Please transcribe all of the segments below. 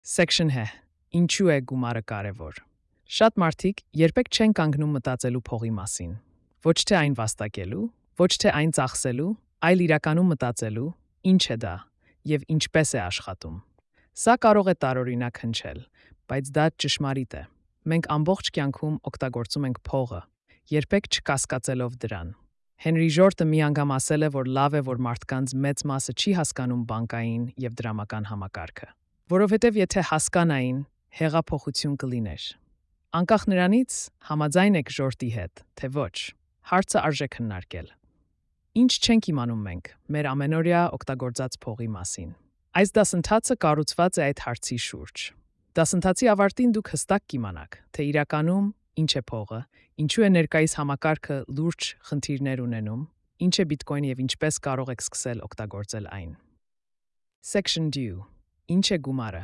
Section H. Ինչու է գումարը կարևոր։ Շատ մարդիկ երբեք չեն կանգնում մտածելու փողի մասին։ Ոչ թե այն վաստակելու, ոչ թե այն ծախսելու, այլ իրականում մտածելու, ինչ է դա եւ ինչպես է աշխատում։ Սա կարող է տարօրինակ հնչել, բայց դա ճշմարիտ է։ Մենք ամբողջ կյանքում օգտագործում ենք փողը, երբեք չկասկածելով դրան։ Հենրի Ժորտը մի անգամ ասել է, որ լավ է, որ մարդկանց մեծ մասը չի հասկանում բանկային եւ դրամական համակարգը, որովհետեւ եթե հասկանային, հեղափոխություն կլիներ։ Անկախ նրանից, համաձայն եք Ժորտի հետ, թե ոչ, հարցը արժե քննարկել։ Ինչ չենք իմանում մենք մեր ամենօրյա օգտագործած փողի մասին։ Այս դասընթացը կառուցված է այդ հարցի շուրջ։ Դասընթացի ավարտին դուք հստակ կիմանաք, թե իրականում ինչ է փողը, ինչու է ներկայիս համակարգը լուրջ խնդիրներ ունենում, ինչ է բիտկոյնը եւ ինչպես կարող եք սկսել օգտագործել այն։ Section D. Ինչ է գումարը։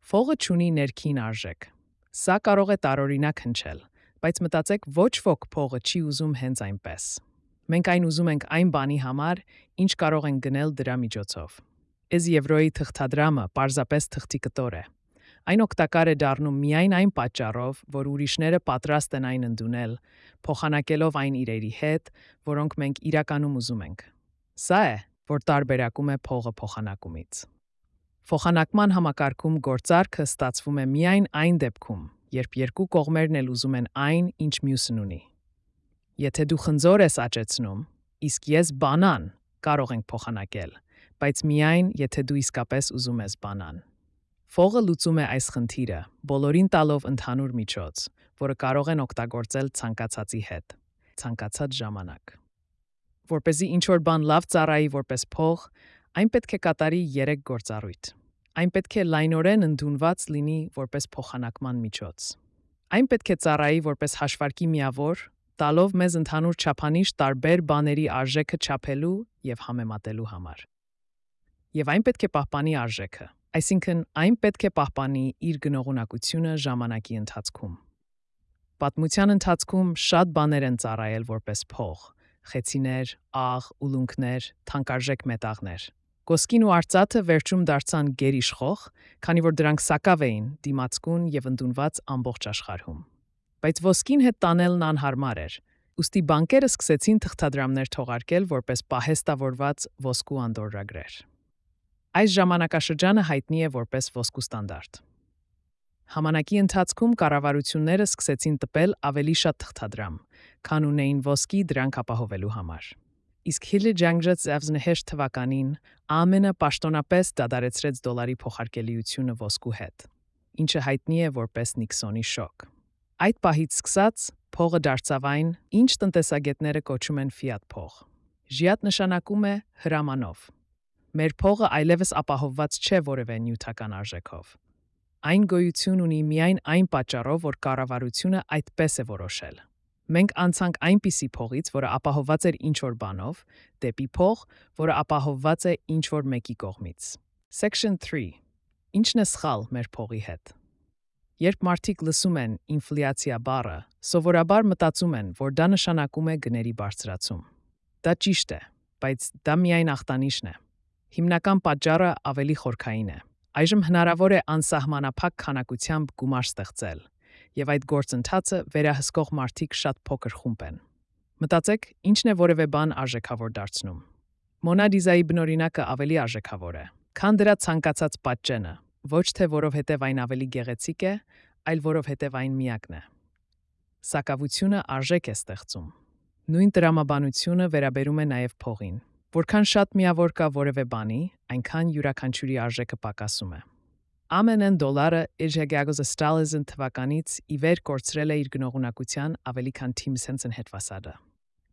Փողը չունի ներքին արժեք։ Սա կարող է տարօրինակ հնչել, բայց մտածեք, ոչ ոք փողը չի ուզում հենց այնպես։ Մենք այն ուզում ենք այն բանի համար, ինչ կարող ենք գնել դրա միջոցով։ Այս եվրոյի թղթադրամը պարզապես թղթի կտոր է։ Այն օգտակար է դառնում միայն այն պատճառով, որ ուրիշները պատրաստ են այն ընդունել, փոխանակելով այն իրերի հետ, որոնք մենք իրականում ուզում ենք։ Սա է, որ տարբերակում է փողը փոխանակումից։ Փոխանակման համակարգում գործարքը ստացվում է միայն այն դեպքում, երբ երկու կողմերն էլ ուզում են այն, ինչ մյուսն ունի։ Եթե դու խնձոր ես աճեցնում, իսկ ես բանան, կարող ենք փոխանակել, բայց միայն եթե դու իսկապես ուզում ես բանան։ Փողը լուծում է այս խնդիրը, բոլորին տալով ընդհանուր միջոց, որը կարող են օգտագործել ցանկացածի հետ, ցանկացած ժամանակ։ Որպեսզի ինչ-որ բան լավ ծառայի որպես փող, այն պետք է կատարի 3 գործառույթ։ Այն պետք է լայնորեն ընդունված լինի որպես փոխանակման միջոց։ Այն պետք է ծառայի որպես հաշվարկի միավոր, տալով մեզ ընդհանուր չափանիշ տարբեր բաների արժեքը չափելու եւ համեմատելու համար։ Եվ այն պետք է պահպանի արժեքը, այսինքն այն պետք է պահպանի իր գնողունակությունը ժամանակի ընթացքում։ Պատմության ընթացքում շատ բաներ են ծառայել որպես փող՝ խեցիներ, աղ, ուլունքներ, թանկարժեք մետաղներ։ Ոսկին ու արծաթը վերջում դարձան գերիշխող, քանի որ դրանք սակավ էին, դիմացկուն եւ ընդունված ամբողջ աշխարհում։ Բայց ոսկին հետ տանելն անհարմար էր, ուստի բանկերը սկսեցին թղթադրամներ թողարկել որպես պահեստավորված ոսկու անդորրագրեր։ Այս ժամանակաշրջանը հայտնի է որպես ոսկու ստանդարտ։ Համանակի ընթացքում կառավարությունները սկսեցին տպել ավելի շատ թղթադրամ, քան ունեին ոսկի դրանք ապահովելու համար։ Իսկ Հիլի Ջանգջեթ թվականին ԱՄՆ-ը պաշտոնապես դադարեցրեց դոլարի փոխարկելիությունը ոսկու հետ, ինչը հայտնի է որպես Նիքսոնի շոկ։ Այդ պահից սկսած փողը դարձավ այն, ինչ տնտեսագետները կոչում են ֆիատ փող։ Ժիատ նշանակում է հրամանով։ Մեր փողը այլևս ապահովված չէ որևէ նյութական արժեքով։ Այն գոյություն ունի միայն այն պատճառով, որ կառավարությունը այդպես է որոշել։ Մենք անցանք այնպիսի փողից, որը ապահովված էր ինչ-որ բանով, դեպի փող, որը ապահովված է ինչ-որ մեկի կողմից։ Section 3. Ինչն է սխալ մեր փողի հետ։ Երբ մարդիկ լսում են ինֆլյացիա բառը, սովորաբար մտածում են, որ դա նշանակում է գների բարձրացում։ Դա ճիշտ է, բայց դա միայն ախտանիշն է։ Հիմնական պատճառը ավելի խորքային է։ Այժմ հնարավոր է անսահմանափակ քանակությամբ գումար ստեղծել, եւ այդ գործընթացը վերահսկող մարդիկ շատ փոքր խումբ են։ Մտածեք, ինչն է որևէ բան արժեքավոր դարձնում։ Մոնա Լիզայի բնօրինակը ավելի արժեքավոր է, քան դրա ցանկացած պատճենը, ոչ թե որովհետև այն ավելի գեղեցիկ է, այլ որովհետև այն միակն է։ Սակավությունը արժեք է ստեղծում։ Նույն տրամաբանությունը վերաբերում է նաև փողին։ Որքան շատ միավոր կա որևէ բանի, այնքան յուրաքանչյուրի արժեքը պակասում է։ ԱՄՆ դոլարը իր 1900 թվականից ի վեր կորցրել է իր գնողունակության ավելի քան Tim Sense-ն հետվասարը։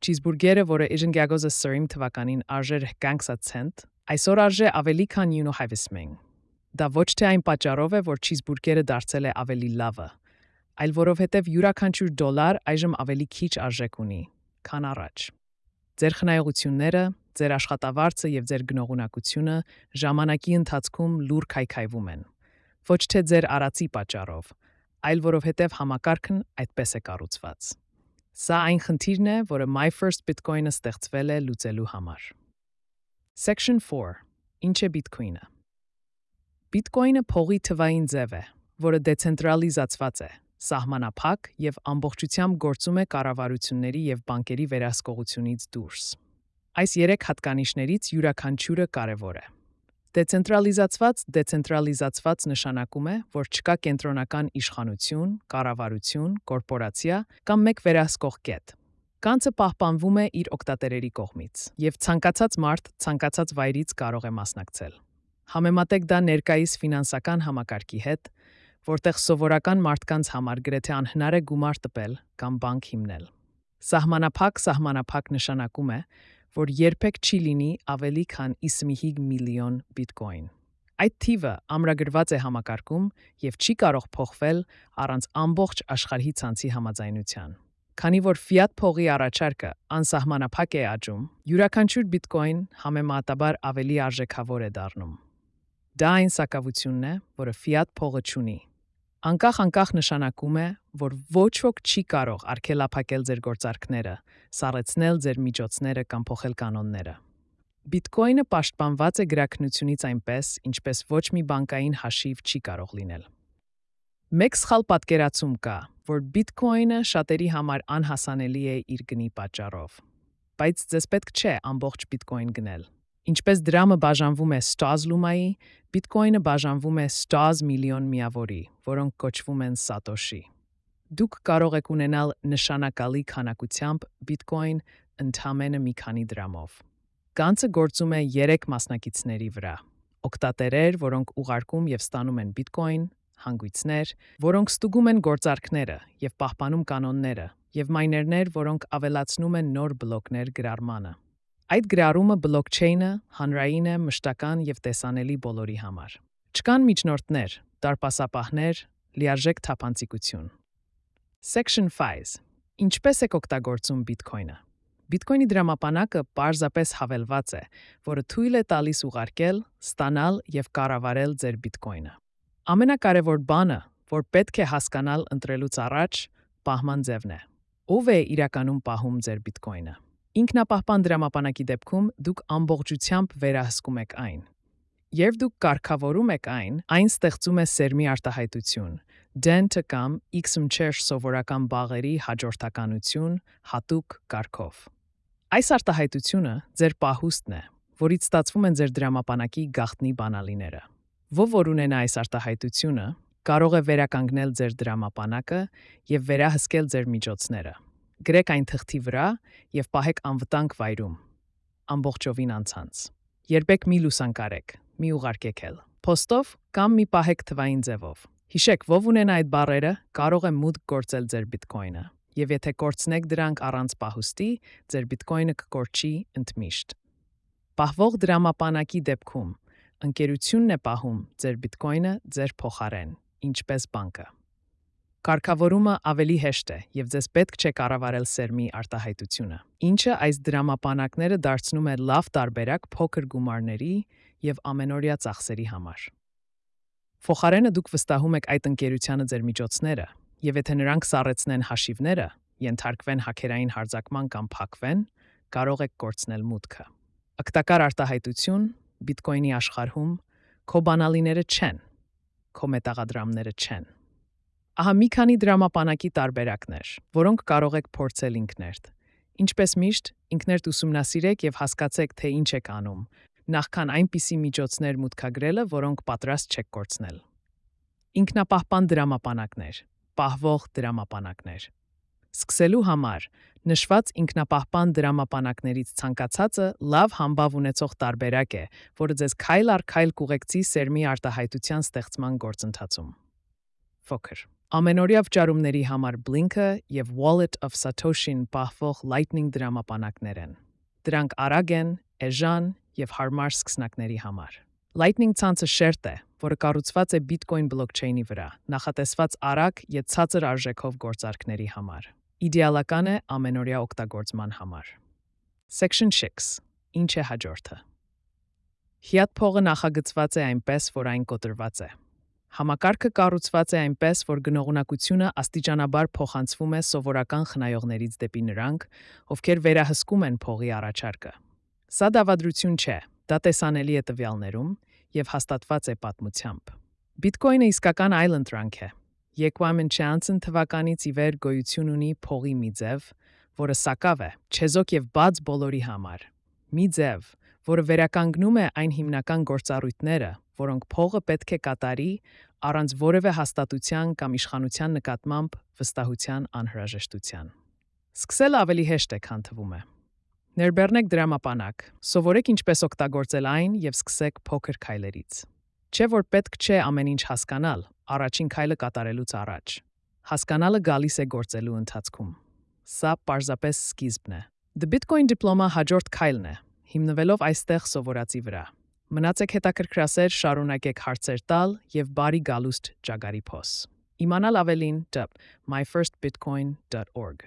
Չիզբուրգերը, որը իր 1930 թվականին արժեր 20 ցենտ, այսօր արժե ավելի քան 9.50 մեն։ Դա ոչ թե այն պատճառով է, որ չիզբուրգերը դարձել է ավելի լավը, այլ որովհետև յուրաքանչյուր դոլար այժմ ավելի քիչ արժեք ունի, քան առաջ։ Ձեր խնայողությունները, ձեր աշխատավարձը եւ ձեր գնողունակությունը ժամանակի ընթացքում լուր քայքայվում են։ Ոչ թե ձեր արածի պատճառով, այլ որովհետև համակարգն այդպես է կառուցված։ Սա այն խնդիրն է, որը My First Bitcoin-ը ստեղծվել է լուծելու համար։ Section 4. Ինչ է Bitcoin-ը։ Բիտկոյնը փողի թվային ձև է, որը դեցենտրալիզացված է, սահմանափակ եւ ամբողջությամբ գործում է կառավարությունների եւ բանկերի վերահսկողությունից դուրս։ Այս 3 հատկանիշներից յուրաքանչյուրը կարևոր է։ Դեցենտրալիզացված նշանակում է, որ չկա կենտրոնական իշխանություն, կառավարություն, կորպորացիա կամ մեկ վերահսկող կետ։ Կանցը պահպանվում է իր օգտատերերի կողմից, եւ ցանկացած մարդ ցանկացած վայրից կարող է մասնակցել։ Համեմատեք դա ներկայիս ֆինանսական համակարգի հետ, որտեղ սովորական մարդկանց համար գրեթե անհնար է գումար տպել կամ բանկ հիմնել։ Սահմանափակ նշանակում է, որ երբեք չի լինի ավելի քան 55 միլիոն բիտկոին։ Այդ թիվը ամրագրված է համակարգում եւ չի կարող փոխվել առանց ամբողջ աշխարհի ցանցի համաձայնության։ Քանի որ ֆիատ փողի առաջարկը անսահմանափակ է աճում, յուրաքանչյուր բիտկոին համեմատաբար ավելի արժեքավոր է դառնում։ Դա այն սակավությունն է, որը ֆիատ փողը չունի։ Անկախ նշանակում է, որ ոչ ոք չի կարող արգելափակել ձեր գործարքները, սառեցնել ձեր միջոցները կամ փոխել կանոնները։ Բիտկոյնը պաշտպանված է գրաքննությունից այնպես, ինչպես ոչ մի բանկային հաշիվ չի կարող լինել։ Մեկ սխալ պատկերացում կա, որ բիտկոյնը շատերի համար անհասանելի է իր գնի պատճառով։ Բայց ձեզ պետք չէ ամբողջ բիտկոյն գնել։ Ինչպես դրամը բաժանվում է ստոզ լումայի, բիտկոյնը բաժանվում է ստոզ միլիոն միավորի, որոնք կոչվում են սատոշի։ Դուք կարող եք ունենալ նշանակալի քանակությամբ բիտկոյն ընդամենը մի քանի դրամով։ Գանձը գործում է 3 մասնակիցների վրա. օգտատերեր, որոնք ուղարկում եւ ստանում են բիտկոյն, հանգույցներ, որոնք ստուգում են գործարքները եւ պահպանում կանոնները, եւ մայներներ, որոնք ավելացնում են նոր բլոկներ գրառմանը։ Այդ գրառումը բլոկչեյնը հանրային է, մշտական եւ տեսանելի բոլորի համար։ Չկան միջնորդներ, դարպասապահներ, լիարժեք թափանցիկություն։ Section 5. Ինչպես եք օգտագործում բիտկոյնը։ Բիտկոյնի դրամապանակը պարզապես հավելված է, որը թույլ է տալիս ուղարկել, ստանալ եւ կառավարել ձեր բիտկոյնը։ Ամենակարևոր բանը, որ պետք է հասկանալ ընտրելուց առաջ, պահման ձևն է։ Ով է իրականում պահում ձեր բիտկոյնը։ Ինքնապահպան դրամապանակի դեպքում դուք ամբողջությամբ վերահսկում եք այն։ Երբ դուք կարգավորում եք այն ստեղծում է սերմի արտահայտություն, դենտը կամ X-ում սովորական բաղերի հաջորդականություն հատուկ կարգով։ Այս արտահայտությունը ձեր պահուստն է, որից ստացվում են ձեր դրամապանակի գաղտնի բանալիները։ Ով որ ունենա այս արտահայտությունը, կարող է վերականգնել ձեր դրամապանակը եւ վերահսկել ձեր միջոցները։ Գրեք այն թղթի վրա եւ պահեք անվտանգ վայրում, ամբողջովին անցանց։ Երբեք մի լուսանկարեք, մի ուղարկեք էլ։ Փոստով կամ մի պահեք թվային ձևով։ Հիշեք, ով ունենա այդ բառերը, կարող է մուտք գործել ձեր բիտկոյնը, եւ եթե կորցնեք դրանք առանց պահուստի, ձեր բիտկոյնը կկորչի ընդմիշտ։ Պահվող դրամապանակի դեպքում ընկերությունն է պահում ձեր բիտկոյնը ձեր փոխարեն, ինչպես բանկը։ Կարգավորումը ավելի հեշտ է եւ ձեզ պետք չէ կառավարել սերմի արտահայտությունը, ինչը այս դրամապանակները դարձնում է լավ տարբերակ փոքր գումարների եւ ամենօրյա ծախսերի համար։ Փոխարենը դուք վստահում եք այդ ընկերությանը ձեր միջոցները, եւ եթե նրանք սառեցնեն հաշիվները, ենթարկվեն հաքերային հարձակման կամ փակվեն, կարող եք կորցնել մուտքը։ Ակտակար արտահայտություն բիտկոյնի աշխարհում քո բանալիները չեն, քո մետաղադրամները չեն։ Ահա մի քանի դրամապանակի տարբերակներ, որոնք կարող եք փորձել ինքներդ։ Ինչպես միշտ, ինքներդ ուսումնասիրեք եւ հասկացեք, թե ինչ եք անում, նախքան այնպիսի միջոցներ մուտքագրելը, որոնք պատրաստ չեք կորցնել։ Ինքնապահպան դրամապանակներ, պահվող դրամապանակներ։ Սկսելու համար նշված ինքնապահպան դրամապանակներից ցանկացածը լավ համբավ ունեցող տարբերակ է, որը ձեզ քայլ առ քայլ կուղեկցի սերմի արտահայտության ստեղծման գործընթացում։ Փոքր Ամենօրյա վճարումների համար Blink-ը եւ Wallet of Satoshi-ն պահվող Lightning դրամապանակներ են։ Դրանք արագ են, էժան եւ հարմար սկսնակների համար։ Lightning ցանցը շերտ է, որը կառուցված է Bitcoin բլոկչեյնի վրա, նախատեսված արագ եւ ցածր արժեքով գործարքների համար։ Իդեալական է ամենօրյա օգտագործման համար։ Section 6. Ինչ է հաջորդը։ Fiat փողը նախագծված է այնպես, որ այն կոտրված է։ Համակարգը կառուցված է այնպես, որ գնողունակությունը աստիճանաբար փոխանցվում է սովորական խնայողներից դեպի նրանք, ովքեր վերահսկում են փողի առաջարկը։ Սա դավադրություն չէ, դա տեսանելի է տվյալներում, եւ հաստատված է պատմությամբ։ Բիտկոինը իսկական այլընտրանք է։ Եկվամեն Չանսն թվականից ի վեր գոյություն ունի փողի մի ձև, որը սակավ է, չեզոք եւ բաց բոլորի համար։ Մի ձև, որը վերականգնում է այն հիմնական գործառույթները, որոնք փողը պետք է կատարի առանց որևէ հաստատության կամ իշխանության նկատմամբ վստահության անհրաժեշտության։ Սկսելը ավելի հեշտ է, քան թվում է։ Ներբեռնեք դրամապանակ, սովորեք ինչպես օգտագործել այն եւ սկսեք փոքր քայլերից։ Չէ՞ որ պետք չէ ամեն ինչ հասկանալ, առաջին քայլը կատարելուց առաջ։ Հասկանալը գալիս է գործելու ընթացքում։ Սա պարզապես սկիզբն է։ The Bitcoin Diploma հաջորդ քայլն է, հիմնվելով այստեղ սովորածի վրա։ Մնացեք հետաքրքրասեր, շարունակեք հարցեր տալ եւ բարի գալուստ ճագարի փոս։ Իմանալ ավելին myfirstbitcoin.org